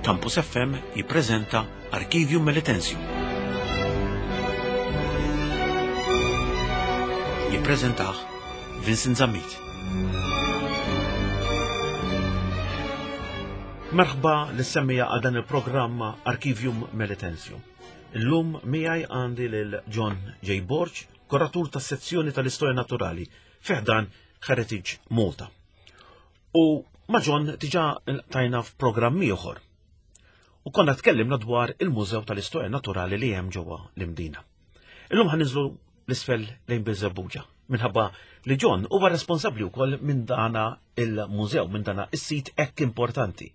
Campus FM jippreżenta Archivium Melitensium. Jippreżentah Vincent Zammit. Merħba l-semmija għal dan il-programm Archivium Melitensium. Illum miegħi għandi lil John J. Borg, kuratur tas-sezzjoni tal-Istorja Naturali fi ħdan Heritage Malta. U ma' John diġà tajna f'programm ieħor. U konna tkellimna dwar il-Mużew tal-Istorja Naturali li hemm ġewwa l-Imdina. Illum ħa ninżlu l-isfel lejn Birżebbuġa minħabba li John huwa responsabbli wkoll minn dana il-mużew, minn dana is-sit hekk importanti.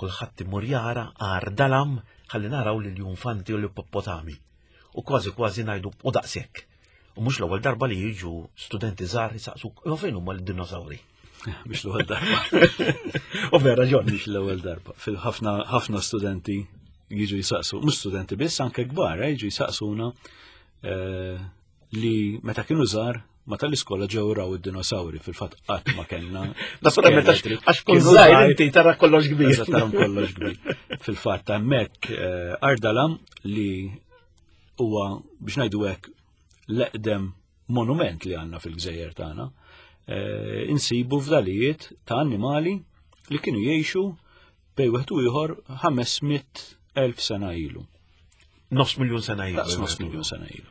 Kulħadd imur jara għar dalam ħalli naraw lil junfanti u l-ippopotami. U kważi kważi ngħidu u daqshekk. U mhux l-ewwel darba li jiġu studenti żgħar jisaqsuk, imma fejn huma l-dinosawri? Mhux l-ewwel darba. U vera ġon. Mhux l-ewwel darba. Fil-ħafna ħafna studenti jiġu jisaqsu, mhux studenti biss, anke kbar, eh, jiġu jisaqsuna eh, li meta kienu żgħar ma tal-iskola ġew raw id-dinosawri fil-fatt qatt ma kellna. Naturalment għax kun żgħir inti tara kollox kbir. Tara kollox kbir. Fil-fatt hemmhekk eh, Ardalam li huwa biex ngħidu hekk l-eqdem monument li għandna fil-gżejjer tagħna, eh, insibu fdalijiet ta' annimali li kienu jgħixu bej wieħed u ieħor 500,000 sena ilu. Nofs miljun sena ilu. Nofs miljun sena ilu.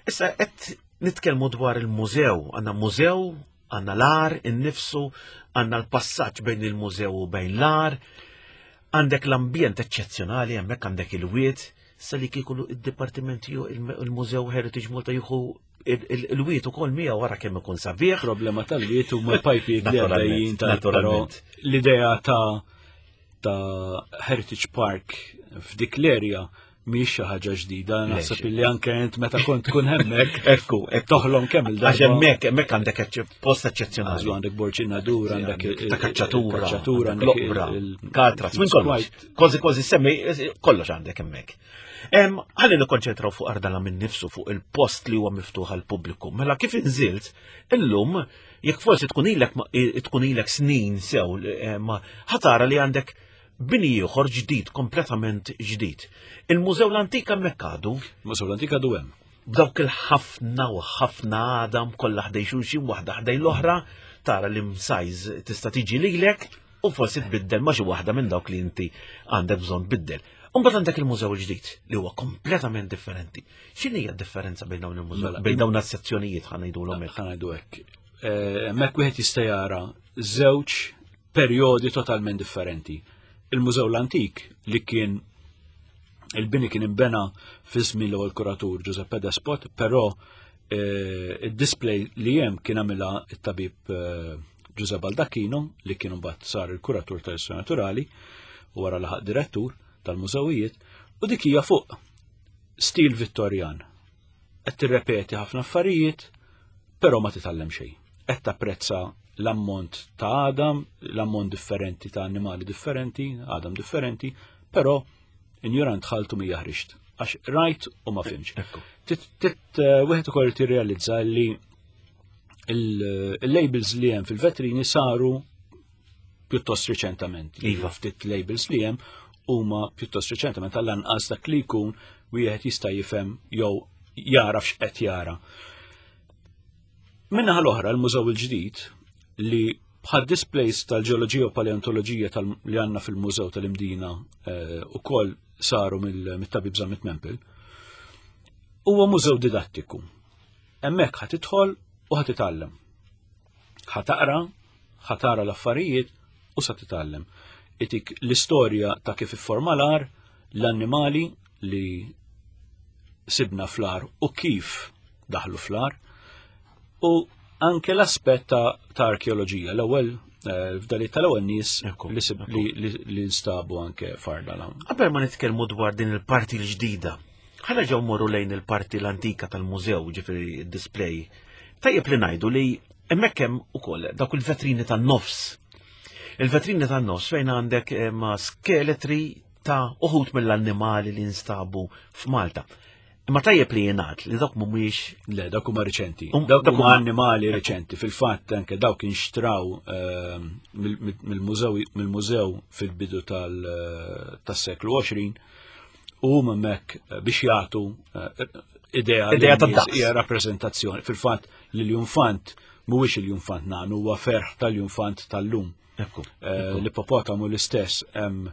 Issa qed nitkellmu dwar il-mużew, għandna mużew, għandna l-ar innifsu, għandna l-passaġġ bejn il-mużew u bejn l-ar, għandek l-ambjent eċċezzjonali hemmhekk għandek il-wied, Sa li kieku id-dipartiment il-Mużew Heritage Malta jieħu il-wiet ukoll miegħu wara kemm ikun sabiħ. Problema tal-wiet huma l-pajpijiet li għaddejjin naturalment. L-idea ta' ta' Heritage Park f'dik l-erja mhix xi ħaġa ġdida, naħseb illi anke int meta kont tkun hemmhekk. Ekku, toħlom kemm il-darba. Għax hemmhekk hemmhekk għandek post eċċezzjonali. Għandek Borġ Nadur, għandek ta' kaċċatura, kaċċatura, għandek katras, minn kollox. Kważi kważi semmi kollox għandek hemmhekk. Ħalli nikkonċentraw fuq Ardala minn nifsu fuq il-post li huwa miftuħ għal pubbliku. Mela kif inżilt, illum jekk forsi tkun ilek tkun ilek snin sew ma ħatara li għandek bini ieħor ġdid, kompletament ġdid. Il-Mużew l-Antik hemmhekk għadu. Il-Mużew l-Antik għadu hemm. B'dawk il-ħafna u ħafna għadam kollha ħdej xulxin waħda ħdej l-oħra, tara li msajz tista' tiġi lilek u forsi tbiddel ma' xi waħda minn dawk li inti għandek bżonn tbiddel. Umbagħad għandek il-mużew il-ġdid li huwa kompletament differenti. X'inhi hija d-differenza bejn dawn il-mużew, mela, bejn dawn is-sezzjonijiet ħa ngħidulhom hekk? Ħa ngħidu hekk. Eh, hemmhekk wieħed jista' jara żewġ perjodi totalment differenti. Il-Mużew l-Antik li kien il-bini kien imbena fi żmien l-ewwel kuratur Giuseppe Despot, però eh, id-display li hemm kien għamilha it-tabib eh, Giuseppe Baldacchino li kien mbagħad sar il-kuratur tal-istorja naturali u wara laħaq direttur tal-mużewijiet u dik hija fuq stil Vittorjan. Qed tirrepeti ħafna affarijiet, però ma titgħallem xejn. Qed tapprezza l-ammont ta' għadam, l-ammont differenti ta' annimali differenti, għadam differenti, però injorant ħaltu mi jaħrixt. Għax rajt u ma fimx. Eh, wieħed ukoll tirrealizza li il-labels li hemm fil-vetrini saru pjuttost riċentament. Iva. Ftit labels li hemm huma pjuttost riċentament għall-anqas dak li jkun wieħed jista' jifhem jew jara x'qed jara. Minnaħa l-oħra l-mużew il-ġdid li bħal displays tal-ġeoloġija u paleontoloġija li għandna fil-mużew tal-Imdina eh, ukoll saru mill-tabib Zammit Mempel, huwa mużew didattiku. Hemmhekk ħa tidħol u ħa titgħallem. Ħa taqra, ħa tara l-affarijiet u sa titgħallem. Itik l-istorja ta' kif ifforma l-ar, l-annimali li sibna fl-ar u kif daħlu fl-ar u anke l-aspett ta', ta arkeoloġija. L-ewwel eh, f'dali tal-ewwel nies li, li nstabu anke farda l Qabel ma nitkellmu dwar din il-parti l-ġdida, ħana ġew morru lejn il-parti l-antika tal-mużew, ġifieri display. Tajjeb li ngħidu li hemmhekk hemm ukoll dawk il-vetrini tan-nofs. Il-vetrini tan-nofs fejn għandek eh, ma' skeletri ta' uħut mill-annimali li nstabu f'Malta. Imma tajjeb li jingħad li dawk mhumiex. Le, dawk huma riċenti. Um, dawk huma annimali riċenti. Fil-fatt anke dawk inxtraw ehm, mill-mużew fil-bidu eh, tas-seklu 20 u huma hemmhekk eh, biex jagħtu eh, idea idea ta' daqs. Hija rappreżentazzjoni. Fil-fatt li l-junfant mhuwiex il-junfant nagħnu huwa ferħ tal-junfant tal-lum. L-ippopotamu l-istess hemm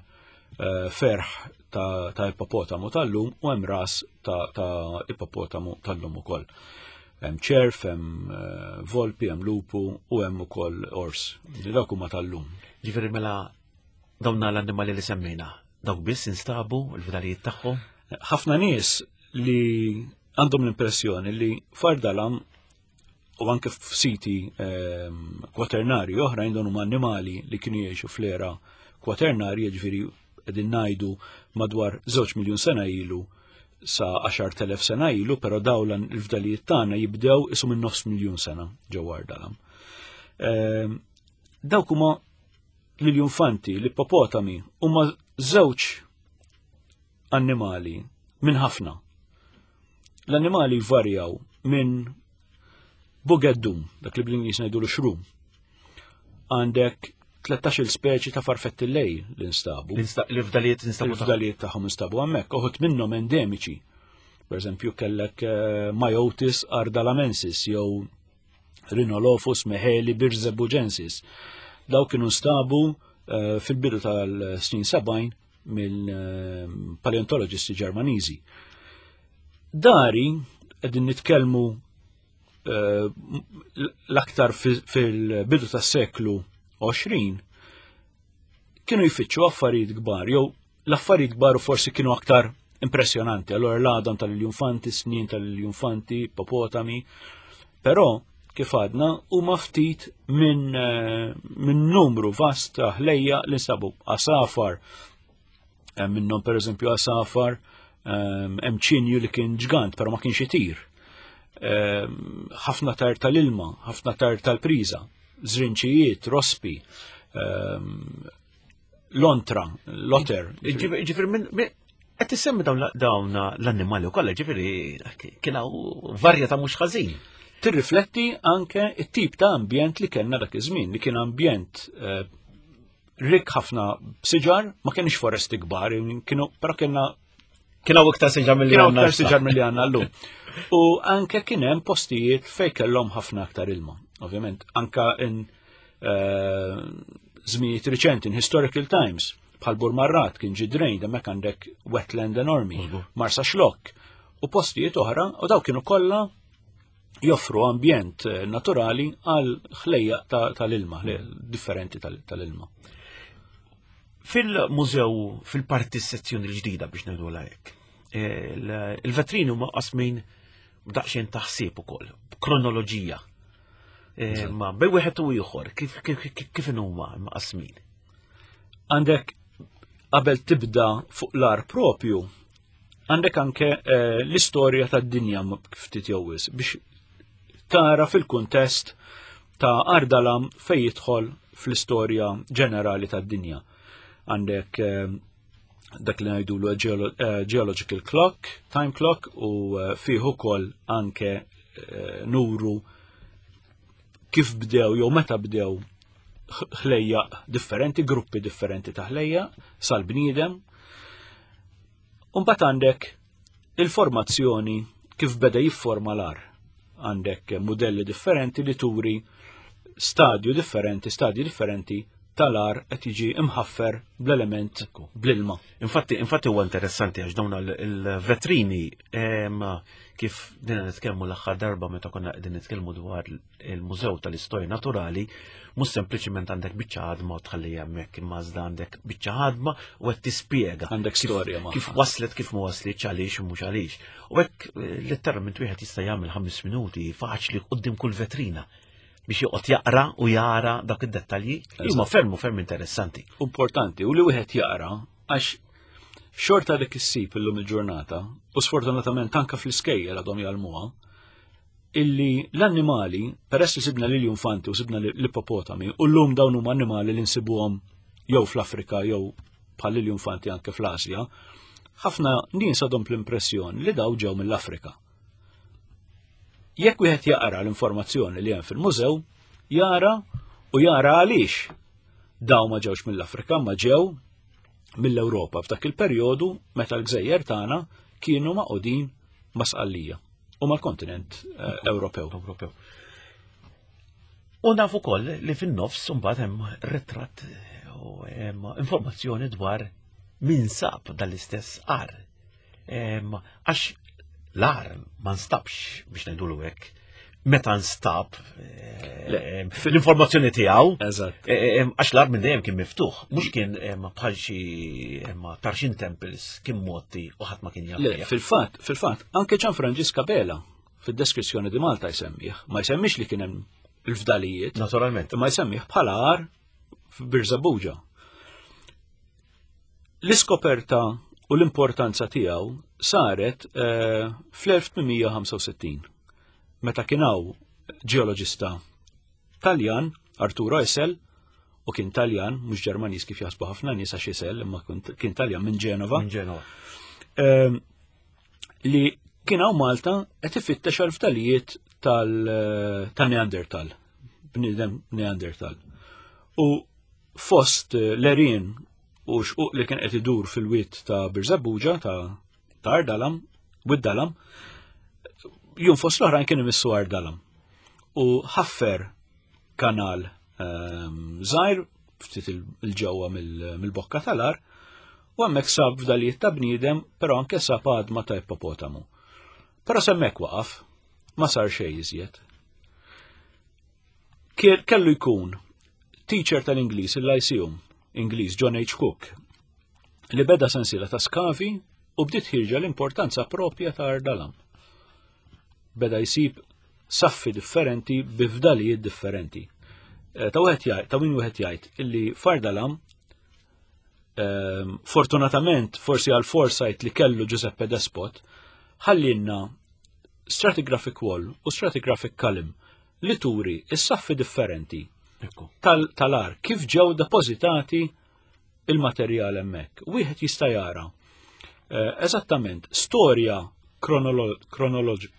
ferħ ta' ippopotamu tal-lum u hemm ras ta' ippopotamu tal-lum ukoll. Hemm ċerf, hemm eh, volpi, hemm lupu u hemm ukoll ors. Dawk huma tal-lum. Ġifieri mela dawna l-annimali li semmejna, dawk biss instabu l-fdalijiet tagħhom? Ħafna nies li għandhom l-impressjoni li fardalam u anke f'siti ehm, kwaternarji oħrajn dawn huma annimali li kienu jgħixu fl-era kwaternarji, ġifieri qegħdin ngħidu madwar żewġ miljun sena ilu sa 10,000 sena ilu, però dawn il-fdalijiet tagħna jibdew isu minn nofs miljun sena ġewwa Ardalam. Ehm, dawk huma l-infanti, l-ippopotami, huma żewġ annimali minn ħafna. L-annimali jvarjaw minn bugeddum, dak li bl-Ingliż ngħidu l-xrum. Għandek 13 speċi ta' farfetti lej li nstabu. L-fdalijiet instabu. L-fdalijiet tagħhom instabu hemmhekk, uħud minnhom endemiċi. Per eżempju, kellek eh, Myotis ardalamensis jew Rhinolophus meheli birzebugensis. Daw kienu nstabu eh, fil-bidu tal-snin 70 mill-paleontologisti Ġermaniżi. Dari qegħdin nitkellmu eh, l-aktar fil-bidu tas-seklu 20 kienu jfittxu affarijiet kbar jew l-affarijiet kbar forsi kienu aktar impressjonanti. Allora l-għadam tal-iljunfanti, snin tal-iljunfanti, popotami, però kif għadna huma ftit minn eh, min numru vast ta' ħlejja li nsabu għasafar eh, minnhom pereżempju għasafar eh, hemm ċinju li kien ġgant però ma kienx itir. Ħafna tar tal-ilma, ħafna tar tal-priża, żrinċijiet, rospi, l-ontra, l-otter. Ġifir, qed issemmi dawn l-annimali kollha, ġifieri kien hawn varjetà mhux ħażin. Tirrifletti anke it-tip ta' ambjent li kellna dak iż-żmien, li kien ambjent eh, rik ħafna siġar, ma kienx foresti kbar, kienu però kienna Kien hawn iktar siġar milli għandna. Iktar siġar milli għandna llum. U anke kien hemm postijiet fejn kellhom ħafna aktar ilma. Ovvjament, anka in eh, żminijiet riċenti, in historical times, bħal Burmarrat kien ġidrejn, hemmhekk għandek wetland enormi, Marsa Xlokk u postijiet oħra, u daw kienu kollha joffru ambjent eh, naturali għal ħlejja tal-ilma, differenti tal-ilma. Fil-mużew, fil-parti sezzjoni l-ġdida biex ngħidu hekk, eh, il-vetrini huma qasmin b'daqsxejn taħsib ukoll, b'kronoloġija. Eh, ma bej wieħed u ieħor, kif kif huma mqasmin? Għandek qabel tibda fuq l-ar propju, għandek anke eh, l-istorja tad-dinja ftit jowis biex tara fil-kuntest ta' Ardalam fej jidħol fl-istorja ġenerali tad-dinja. Għandek eh, dak li ngħidulu eh, geological clock, time clock u fih ukoll anke nuru kif bdew jew meta bdew ħlejja differenti, gruppi differenti ta' ħlejja sal-bniedem. Umbat għandek il-formazzjoni kif beda jifforma l-ar. Għandek modelli differenti li turi stadju differenti, stadji differenti tal-ar qed jiġi imħaffer bl-element bl-ilma. Infatti, infatti huwa interessanti għax dawn il-vetrini kif dina nitkellmu l-aħħar darba meta konna qegħdin nitkellmu dwar il-Mużew tal-Istorja Naturali, mhux sempliċiment għandek biċċa ħadma u tħalli hemmhekk imma iżda għandek biċċa ħadma u qed tispjega. Għandek storja ma. Kif waslet, kif ma waslitx, għaliex u mhux għaliex. U hekk eh, letteralment wieħed jista' jagħmel ħames minuti faċli quddiem kull vetrina biex joqgħod jaqra u jara dak id-dettalji li huma ferm u ferm interessanti. Importanti u li wieħed jaqra għax xorta dik issib illum il-ġurnata u sfortunatament anke fl-iskejjel għadhom jgħallmuha illi l-annimali, peress li sibna l-infanti u sibna l-ippopotami, u l-lum dawn huma annimali li nsibuhom jew fl-Afrika jew bħal l-infanti anke fl-Asja, Ħafna nies għadhom l-impressjoni li daw ġew mill-Afrika. Jekk wieħed jaqra l-informazzjoni li hemm fil-mużew, jara u jara għaliex daw ma ġewx mill-Afrika, ma ġew mill-Ewropa f'dak il-perjodu meta l-gżejjer tagħna kienu maqudin ma' Sqallija u mal-kontinent eh, Ewropew. Ewropew. U nafu koll li fin-nofs mbagħad hemm ritratt u hemm informazzjoni dwar min sab dal-istess għar. Għax l-għar ma nstabx biex ngħidulu hekk meta nstab l-informazzjoni tiegħu. Eżatt. Għax l-għar minn dejjem kien miftuħ, mhux kien bħal xi Tarxien Temples kien motti u ħadd ma kien jaf. Fil-fatt, fil-fatt, anke Ġan Franġiska Bela fid-deskrizzjoni di Malta jsemmih, ma jsemmix li kien hemm il-fdalijiet. Naturalment. Ma jsemmih bħala għar f'Birżabuġa. L-iskoperta u l-importanza tiegħu saret eh, fl-1865 meta kien hawn ġeoloġista Taljan, Arturo Essel, u kien Taljan, mhux Ġermaniż kif jaħsbu ħafna nies għax Essel, imma kien Taljan minn Ġenova. Minn Ġenova. Ehm, li kien hawn Malta qed ifittex għal ftalijiet tal-Neandertal, bniedem Neandertal. U fost eh, l-erien u xquq li kien qed idur fil-wied ta' Birżebbuġa ta' ta' Ardalam, Wid Dalam, jum fost l-oħrajn kien imissu Ardalam. U ħaffer kanal ehm, żgħir ftit il-ġewwa mill-bokka tal-ar u hemmhekk sab fdalijiet ta' bniedem, però anke sab għadma ta' ippopotamu. Però semmek waqaf, ma sar xejn iżjed. Kellu jkun teacher tal-Ingliż il-Lyceum, Ingliż John H. Cook, li beda sensiela ta' skavi u bdiet ħirġa l-importanza propja ta' Ardalam. Beda jsib saffi differenti bi fdalijiet differenti. Eh, ta' wieħed jgħid, ta' min wieħed jgħid illi Fardalam ehm, fortunatament forsi għal foresight li kellu Giuseppe Despot ħallinna stratigraphic wall u stratigraphic column li turi is-saffi differenti tal-ar kif ġew depożitati il-materjal hemmhekk. Wieħed jista' jara eh, eżattament storja kronoloġika.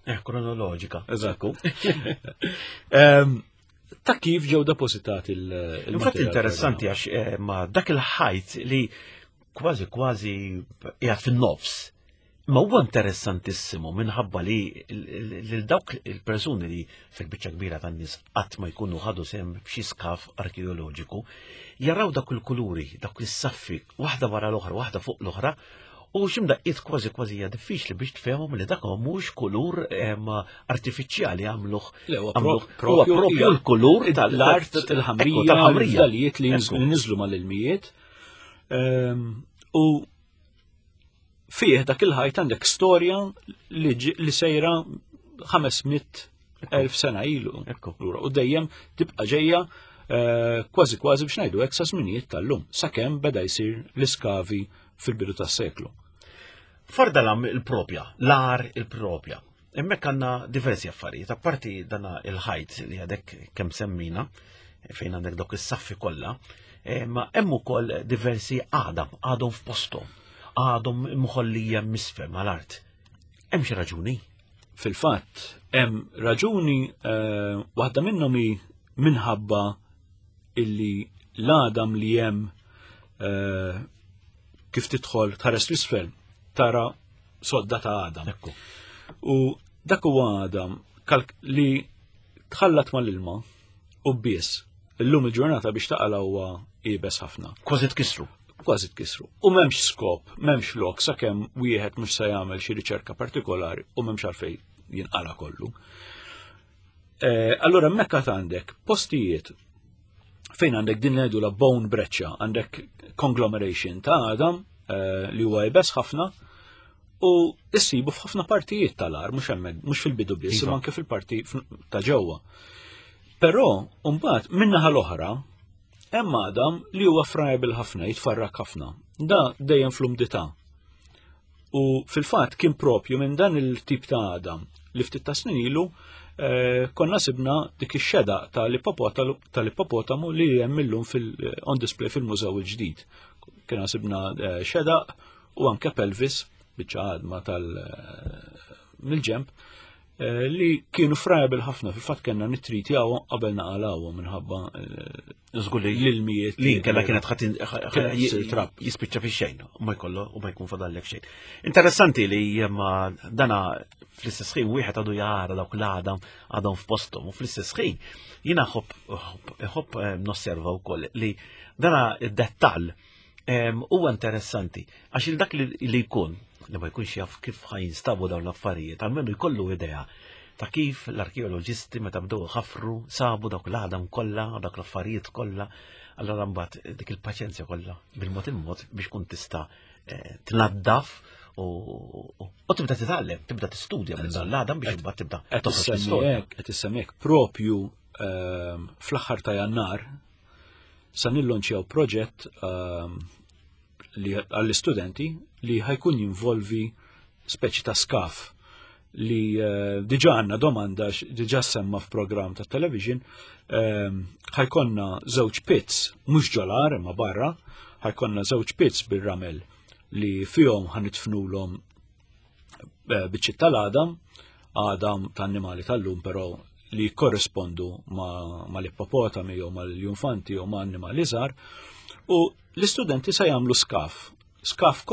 Eh, kronoloġika. Eżakku. Ehm, ta' kif ġew depożitati il-materjal. Infatti interessanti għax eh, ma dak il-ħajt li kważi kważi qiegħed fin-nofs Ma huwa interessantissimu minħabba li lil dawk il-persuni li fil-biċċa kbira tan-nies qatt ma jkunu ħadu sehem f'xi skaf arkeoloġiku, jaraw dak il-kuluri, dak is-saffi, waħda wara l-oħra, waħda fuq l-oħra, u x'imdaqqiet kważi kważi hija diffiċli biex tfehmhom li dak mhux kulur artifiċjali għamluh. Huwa propju l-kulur tal-art il-ħamrija, tal-ħamrija li niżlu mal-ilmijiet. Ehm, u fih dak il-ħajt għandek storja li sejra 500 elf sena ilu. U dejjem tibqa' ġejja eh, kważi kważi biex ngħidu hekk sa żminijiet tal-lum, sakemm beda jsir l-iskavi fil-bidu tas-seklu. Fardalam il-propja, l-ar il-propja. Hemmhekk għandna diversi affarijiet, apparti dana il-ħajt li għadek kemm semmina, fejn għandek dawk is-saffi kollha, eh, ma hemm ukoll diversi għadam, għadhom f'posthom, għadhom mħollija misfel mal-art. Hemm xi raġuni? Fil-fatt, hemm raġuni eh, waħda minnhom hi minħabba illi l-għadam li hemm eh, kif tidħol tħares l-isfel tara sodda ta' għadam. Ekku. U dak huwa għadam li tħallat mal-ilma u biss. Illum il-ġurnata biex taqala huwa ibes ħafna. Kważi tkissru. Kważi tkissru. U m'hemmx skop, m'hemmx lok sakemm wieħed mhux se jagħmel xi riċerka partikolari u m'hemmx għalfejn jinqala kollu. Eh, allora hemmhekk għandek postijiet fejn għandek din ngħidu la bone breccia, għandek conglomeration ta' għadam eh, li huwa ibes ħafna u issibu f'ħafna partijiet tal-ar, mhux hemmhekk, mhux fil-bidu biss, imma anke fil-parti ta' ġewwa. Però mbagħad min-naħa l-oħra hemm għadam li huwa friable ħafna, jitfarrak ħafna. Da dejjem fl-umdità. U fil-fatt kien propju minn dan il-tip ta' għadam li ftit ta' snin ilu eh, konna sibna dik ix-xeda tal-ippopotamu li hemm illum on display fil-mużew il-ġdid. Kien sibna eh, xeda u anke pelvis biċċa għadma tal eh, mill-ġemp eh, li kienu friable ħafna fil-fatt kellna nittritjawhom qabel naqalawhom minħabba eh, Żgur li l-ilmijiet li kella kienet ħadd trab. jispiċċa fi xejn u ma jkollu u ma jkun fadallek xejn. Interessanti li ma dana fl-istess ħin wieħed għadu jara dawk l-għadam għadhom f'posthom u fl-istess ħin jiena ħobb eh, nosserva wkoll li dana id-dettall huwa interessanti għax il dak li jkun li ma jkunx jaf kif ħajinstabu dawn l-affarijiet, almenu jkollu idea ta' kif l-arkeoloġisti meta bdew ħafru sabu dawk l-għadam kollha, dawk l-affarijiet kollha, allora mbagħad dik il-paċenzja kollha bil-mod il-mod biex kun tista' eh, tnaddaf u tibda titgħallem, tibda tistudja minn dan l-għadam biex imbagħad tibda toħroġ l-istorja. Qed issemmek propju ehm, fl-aħħar ta' Jannar sa nillonċjaw proġett ehm, li għall-istudenti li ħajkun jinvolvi speċi ta' skaf li eh, diġa għanna domanda, diġa semma f'program ta' television, ehm, ħajkonna żewġ pits, mhux ġolar imma barra, ħajkonna żewġ pits bil-ramel li fihom ħanitfnulhom eh, biċċiet tal-għadam, għadam ta' annimali tal-lum però li korrespondu ma' l-ippopotami jew ma' l-junfanti jew ma' annimali żgħar u l-istudenti se jagħmlu skaf. Skaf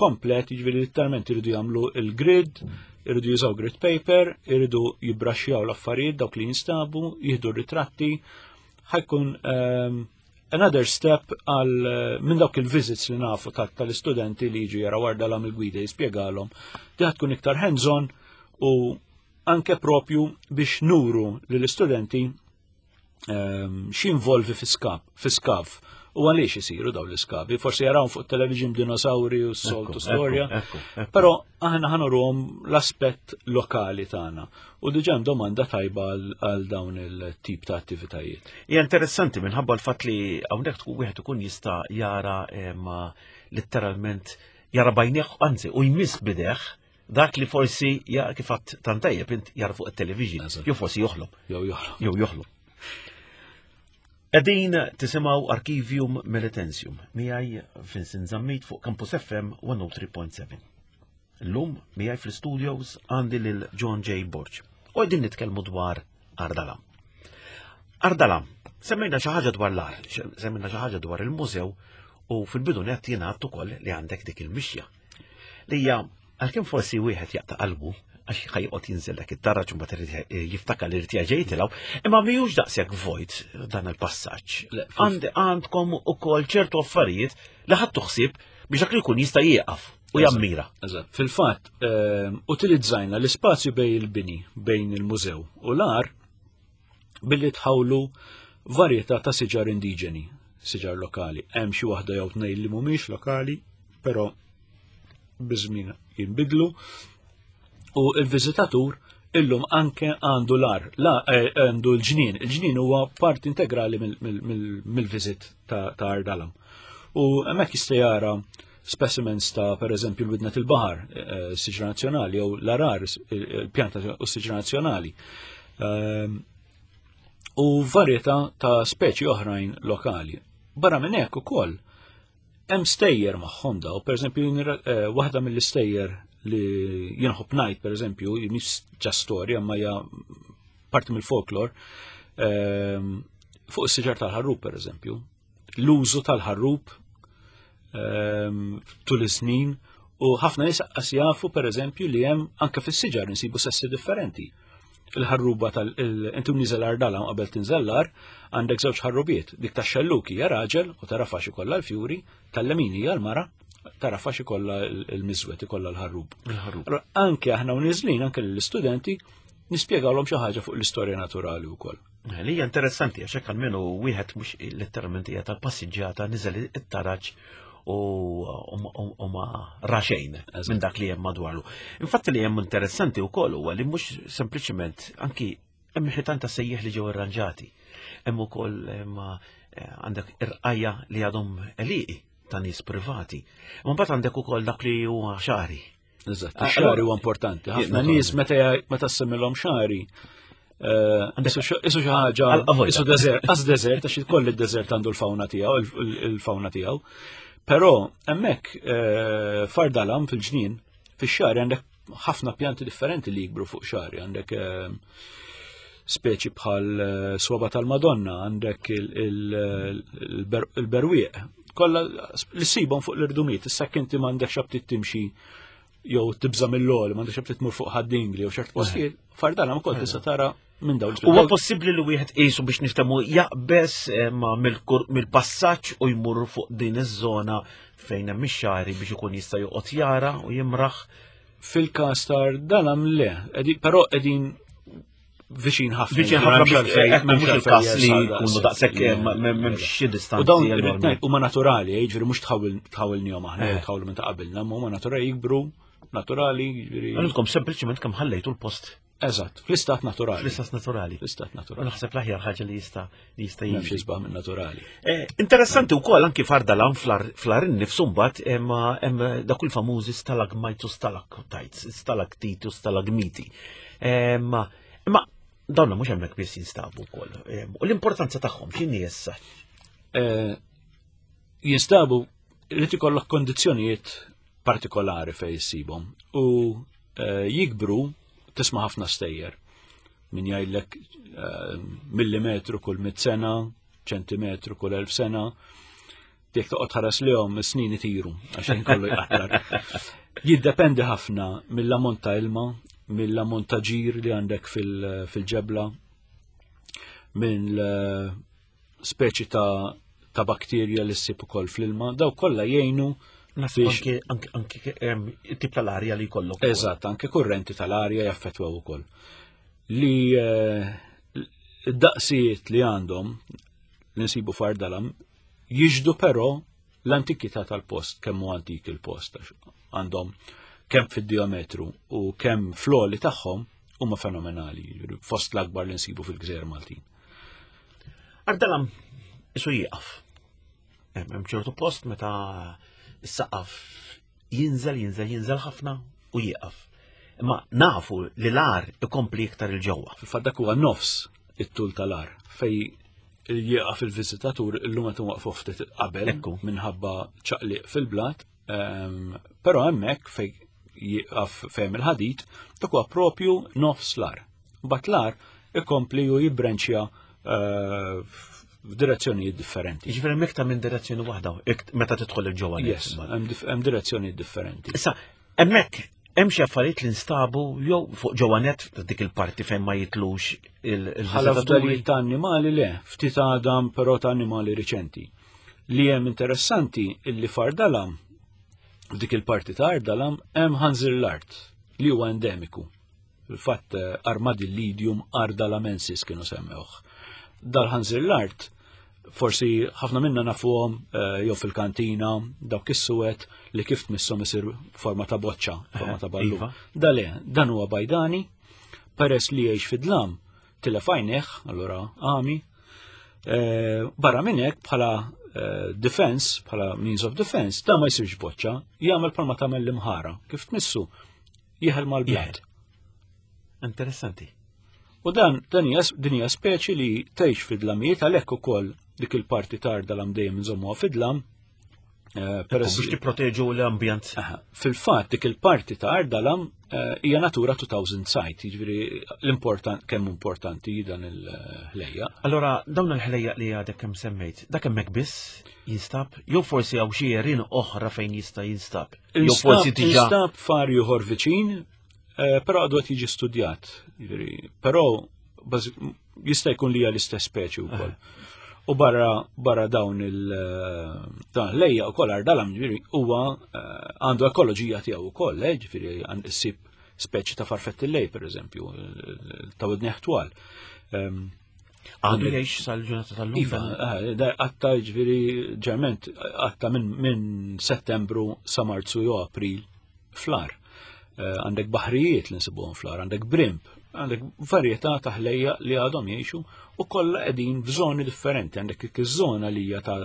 komplet, jiġifieri literalment iridu jagħmlu il-grid, iridu jużaw grid paper, iridu jibbraxxjaw l-affarijiet dawk li jinstabu, jieħdu ritratti, ħajkun um, another step għal eh, minn dawk il-visits li nafu tal-istudenti li jiġu jaraw għardalam il-gwida jispjegalhom, di tkun iktar hands-on u anke propju biex nuru lill-istudenti ehm, x'involvi fi skav u għaliex isiru daw l-iskavi. Forsi jaraw fuq television dinosauri u s-soltu storja. Però aħna ħanuruhom l-aspett lokali tagħna. U diġà domanda tajba għal dawn il-tip ta' attivitajiet. Hija interessanti minħabba l-fatt li hawnhekk tkun wieħed ikun jista' jara eh, ma letteralment jara bajnieh anzi u jmiss bideħ dak li forsi ja kif għadt tant tajjeb int jara fuq it-television, jew forsi joħlom. Jew joħlom. Jew joħlom. Qegħdin tisimgħu Archivium Melitensium miegħi Vincent Zammit fuq Campus FM 103.7. Illum miegħi fl-studios għandi lil John J. Borg. U qegħdin nitkellmu dwar Ardala. Ardala, semmejna xi ħaġa dwar l-ar, semmejna xi ħaġa dwar il-mużew u fil-bidu nett jingħad ukoll li għandek dik il-mixja. Li hija għalkemm forsi wieħed jaqta' qalbu għax ħajqgħod jinżel dak it-taraġ u mbagħad irid jiftakar li irid jerġa' jitilgħu, imma mhijiex daqshekk vojt dan il-passaġġ. Għandkom ukoll ċertu affarijiet li ħadtu ħsieb biex dak li jkun jista' jieqaf u jammira. Eżatt. Fil-fatt, ehm, utilizzajna l-ispazju bejn il-bini, bejn il-mużew u l-ar billi tħawlu varjetà ta' siġar indiġeni, siġar lokali. Hemm xi waħda jew tnejn li mhumiex lokali, però biż-żmien jinbidlu. U il-viżitatur illum anke għandu l-ar, la eh, għandu l-ġnien. Il-ġnien huwa parti integrali mill-viżit ta' Ardalam. U hemmhekk jista' jara specimens ta' per eżempju l-widnet il-baħar, eh, siġra nazzjonali, jew l-arar, il-pjanta u siġra nazzjonali. Ehm, u varjetà ta' speċi oħrajn lokali. Barra minn hekk ukoll hemm stejjer magħhom daw, per eżempju eh, waħda mill-istejjer li jinħobb ngħid per eżempju, mhix ġa storja ma hija parti mill-folklor, ehm, fuq is-siġar tal-ħarrub per eżempju, l-użu tal-ħarrub ehm, tul is-snin u ħafna nies qas jafu per eżempju li hemm anke fis-siġar insibu sessi differenti. Il-ħarruba tal inti niżel ardala qabel tinżellar għandek żewġ ħarrubiet, dik tax-xelluki hija raġel u tara fax ikollha l-fjuri, tal-lemin hija l-mara, tara fax ikollha l-miżwet ikollha l-ħarrub. Anke aħna u niżlin anke lill-istudenti nispjegawlhom xi ħaġa fuq l-istorja naturali wkoll. Eh, li hija interessanti għax hekk almenu wieħed mhux letteralment hija tal-passiġġata niżel it-taraġ u ma raxejn minn dak li hemm madwaru. Infatti li hemm interessanti wkoll huwa li mhux sempliċement anki hemm ħitan ta' sejjeħ li ġew irranġati. Hemm ukoll eh, għandek irqajja li għadhom eliqi ta' nies privati. Ma mbagħad għandek ukoll dak li huwa xari. Eżatt, ah, xari huwa importanti. Ħafna nies meta meta semmilhom xari, eh, isu xi ħaġa, isu deżert, qas deżert għax koll id-deżert għandu l-fawna tiegħu, il-fawna tiegħu. Però hemmhekk eh, fardalam fil-ġnien, fix-xagħri għandek ħafna pjanti differenti li jikbru fuq xagħri, għandek eh, speċi bħal eh, swaba tal-Madonna, għandek il-berwieq, kollha li ssibhom fuq l-irdumiet, issa inti m'għandekx aptit timxi jew tibża mill-għoli, m'għandekx aptit tmur fuq ħaddingli jew ċert postijiet, fardala ma kont tista' tara minn dawn. Huwa possibbli li wieħed qisu biex niftehmu jaqbeż eh, ma mill-passaġġ u jmur fuq din iż-żona fejn hemm ix-xagħri biex ikun jista' joqgħod jara u jimraħ. Fil-każ tar dalam le, però qegħdin viċin ħafna. Viċin ħafna biex eh, mhux il-każ li jkunu daqshekk eh, m'hemmx xi distanzi. U dawn huma naturali, jiġifieri mhux tħawilnihom aħna, eh. tħawlu minn ta' qabilna, huma naturali jikbru naturali. Għandkom sempliċement kemm ħallejtu l-post. Eżatt, fl-istat naturali. Fl-istat naturali. Fl-istat naturali. Naħseb l-aħjar ħaġa li jista' li jista' jiġi. M'hemmx isbaħ minn naturali. Eh, interessanti wkoll anki fardalan fl-ar innifsu mbagħad hemm dak il-famużi stalagmites u stalactites, stalaktiti u stalagmiti. Imma dawn mhux hemmhekk biss jinstabu wkoll. U l-importanza tagħhom x'inhi issa? Eh, jinstabu li ikollok kondizzjonijiet partikolari fejn issibhom u eh, jikbru tisma' ħafna stejjer min jgħidlek eh, millimetru kull mit sena, ċentimetru kull elf sena, jekk toqgħod ħares lihom is-snin itiru għax kollu jqattar. Jiddependi ħafna mill-ammont ta' ilma, mill-ammont ta' ġir li għandek fil-ġebla, minn speċi ta' ta' bakterja li ssib ukoll fl-ilma, daw kollha jgħinu biex anke anke tip tal-arja li jkollok. Eżatt, anke kurrenti tal-arja jaffettwaw ukoll. Li eh, d-daqsijiet li għandhom li nsibu fardalam jiġdu però l-antikità tal-post, kemm hu antik il-post, għandhom kemm fid-diametru u kemm fl-għoli tagħhom huma fenomenali, fost l-akbar li nsibu fil-Gżejjer Maltin. Ardalam isu jieqaf. Hemm ċertu post meta s-saqaf jinżel, jinżel, jinżel ħafna u jieqaf. Imma nafu li l-ar ikompli iktar il-ġewwa. Fil-fatt dak huwa nofs it-tul tal-ar fej jieqaf il-viżitatur illum qed waqfu ftit qabel minħabba ċaqliq fil-blat, ehm, però hemmhekk fej jieqaf fejn il-ħadid dak huwa propju nofs l-ar. Mbagħad l-ar ikompli u jibbrenċja eh, f'direzzjonijiet differenti. Jiġifieri hemm iktar minn direzzjoni waħda meta tidħol il-ġewwa. Yes, hemm direzzjonijiet differenti. Issa, hemmhekk hemm xi affarijiet li nstabu jew fuq ġewwa net dik il-parti fejn ma jitlux il-viżitaturi. ta' annimali le, ftit għadam però ta' annimali riċenti. Li hemm interessanti illi fardalam dik il-parti ta' ardalam hemm ħanżir l-art li huwa endemiku. Fil-fatt eh, Armadillidium ardalamensis kienu semmewh. Dal-ħanżir l-art forsi ħafna minna nafuhom eh, jew fil-kantina dawk is-suwed li kif tmisshom isir forma ta' boċċa, forma ta' ballu. Iva. Dale, dan huwa bajdani, peress li jgħix fid-dlam, tilef għajnejh, allura għami. Eh, barra minn hekk bħala defense, bħala means of defense, da ma jsirx boċċa, jagħmel bħalma tagħmel l-imħara. Kif tmissu, jeħel mal-blat. Interessanti. U dan dan hija din hija speċi li tgħix fid-dlamijiet għalhekk ukoll dik il-parti tarda lam dejjem nżommuha fid-dlam. Eh, peress biex tipproteġu l-ambjent. Fil-fatt dik il-parti ta' Ardalam eh, hija Natura 2000 site, jiġifieri l-important kemm importanti dan il-ħlejja. Allora dawn il-ħlejja li għadek kemm semmejt, dak hemmhekk biss jinstab, jew forsi hawn xi għerien oħra fejn jista' jinstab. Jew forsi diġà. Instab far ieħor viċin, eh, però għadu qed jiġi studjat. Però jista' jkun li hija l-istess speċi wkoll. Eh. U barra barra dawn il eh, dan lejja wkoll ardalam ġifieri huwa għandu ekoloġija tiegħu wkoll, ġifieri għand issib speċi ta' farfetti lej pereżempju, ta' widneħ twal. Ehm, Għandu jgħix sal-ġurnata tal-lum. Iva, eh, għatta ġviri ġerment, għatta minn settembru sa marzu jew april flar. Eh, għandek baħrijiet li nsibuhom flar, għandek brimp, għandek varjetà ta' ħlejja li għadhom jgħixu u kollha qegħdin f'żoni differenti, għandek iż-żona li hija ta'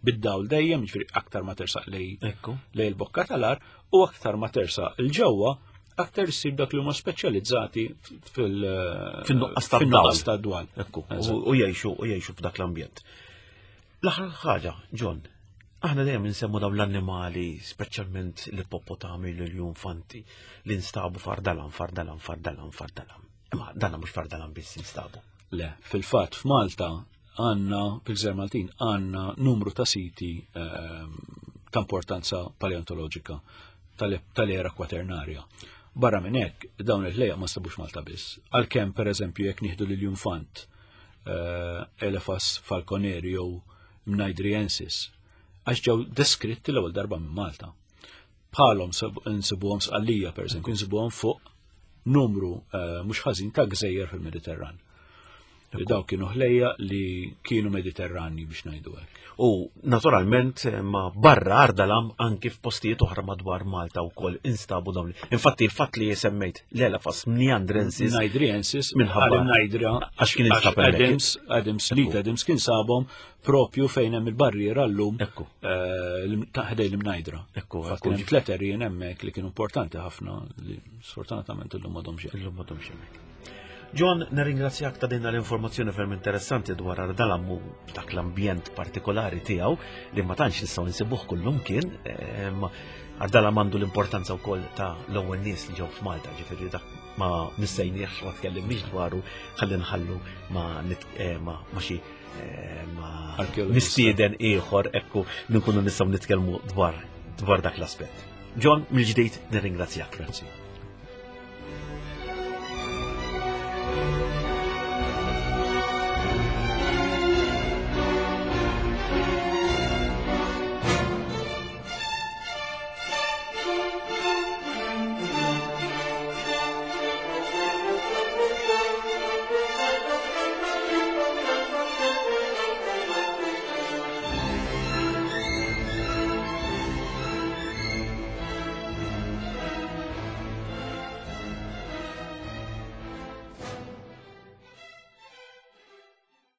bid-dawl dejjem, ġifieri aktar ma tersaq lej lej il-bokka tal-ar u aktar ma tersaq il-ġewwa aktar issib dak li huma speċjalizzati fil-nuqqas ta' dwal. U jgħixu u jgħixu f'dak l-ambjent. L-aħħar ħaġa, John, Aħna dejjem insemmu dawn l-annimali, speċjalment l-ippopotami, l-infanti, li nstabu fardalam, fardalam, fardalam, fardalam. Imma danna mhux fardalam biss instabu. Le, fil-fatt f'Malta għandna, fil-Gżejjer Maltin, għandna numru ta' siti ehm, ta' importanza paleontoloġika tal-era kwaternarja. Barra minn hekk, dawn il-ħlejja ma stabux Malta biss. Għalkemm pereżempju jekk nieħdu lil infant eh, Elephas falconeri jew Mnaidriensis, għax ġew deskritti l-ewwel darba minn Malta. Bħalhom nsibuhom Sqallija pereżempju, nsibuhom fuq numru eh, mhux ħażin ta' gżejjer fil-Mediterran. Li daw kienu ħlejja li kienu Mediterrani biex ngħidu hekk. U naturalment eh, ma barra Ardalam anki f'postijiet oħra madwar Malta wkoll instabu dawn. Infatti il-fatt li semmejt l-Elafas Mniandrensis. Naidriensis minħabba Naidra għax kien instab Adams, Adams, Leet Adams kien sabhom propju fejn hemm il-barriera llum Ekku. Eh, ħdej l-Imnajdra. Ekku, Kien hemm tliet erjien hemmhekk li kienu importanti ħafna li sfortunatament illum m'għadhomx hemm. Illum m'għadhomx hemmhekk. John, nirringrazzjak ta' din l-informazzjoni ferm interessanti dwar Ardalam u dak l-ambjent partikolari tiegħu li ma tantx nistgħu nsibuh kullum kien. Ehm, Ardalam għandu l-importanza wkoll ta' l-ewwel nies li ġew f'Malta, ġifieri dak ma nissejniex ma tkellimniex dwaru ħalli nħallu ma eh, ma xi eh, ma mistieden ieħor ekku nkunu nistgħu nitkellmu dwar dwar dak l-aspett. John, mill-ġdid nirringrazzjak. Grazzi.